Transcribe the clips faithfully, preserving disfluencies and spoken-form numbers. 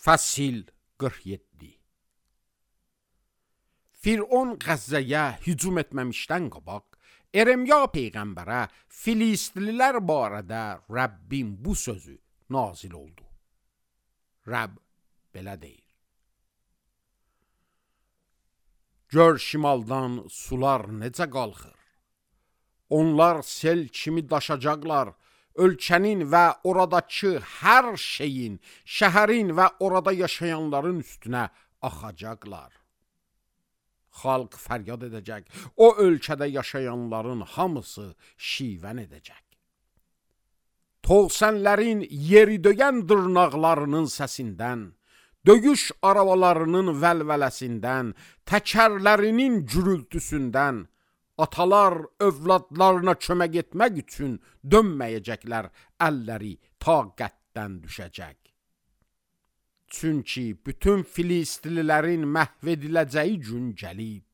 Fəsil qırx yeddi. Firon Qəzzəyə hücum etməmişdən qabaq, Eremya peyğəmbərə Filistlilər barədə Rəbbin bu sözü nazil oldu. Rəbb belə deyir: Gör şimaldan sular necə qalxır. Onlar sel kimi daşacaqlar. Ölkənin və oradakı hər şeyin, şəhərin və orada yaşayanların üstünə axacaqlar. Xalq fəryad edəcək. O ölkədə yaşayanların hamısı şivən edəcək. Tovsənlərin yeri döyən dırnaqlarının səsindən, döyüş arabalarının vəlvələsindən, təkərlərinin gürültüsündən, atalar övladlarına kömək etmək üçün dönməyəcəklər, əlləri taqətdən düşəcək. Çünki bütün Filistlilərin məhv ediləcəyi gün gəlib,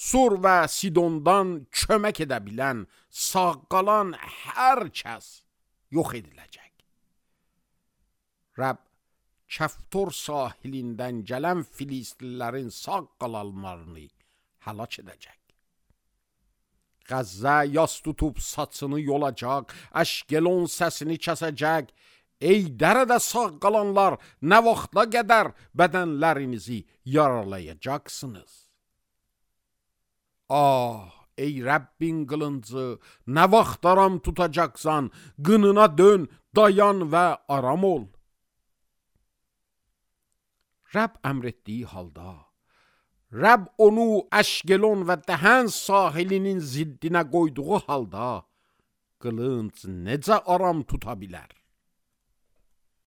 Sur və Sidondan kömək edə bilən, sağ qalan hər kəs yox ediləcək. Rəbb Kəftor sahilindən gələn Filistlilərin sağ qalanlarını həlak edəcək. Qəzzə yas tutub saçını yolacaq, Əşkelon səsini kəsəcək. Ey dərədə sağ qalanlar, nə vaxta qədər bədənlərinizi yaralayacaqsınız? Ah, ey Rəbbin qılıncı, nə vaxt aram tutacaqsan, qınına dön, dayan və aram ol. Rəbb əmr etdiyi halda, Rəbb onu Əşkelon və Dəhən sahilinin ziddinə qoyduğu halda, qılınc necə aram tuta bilər?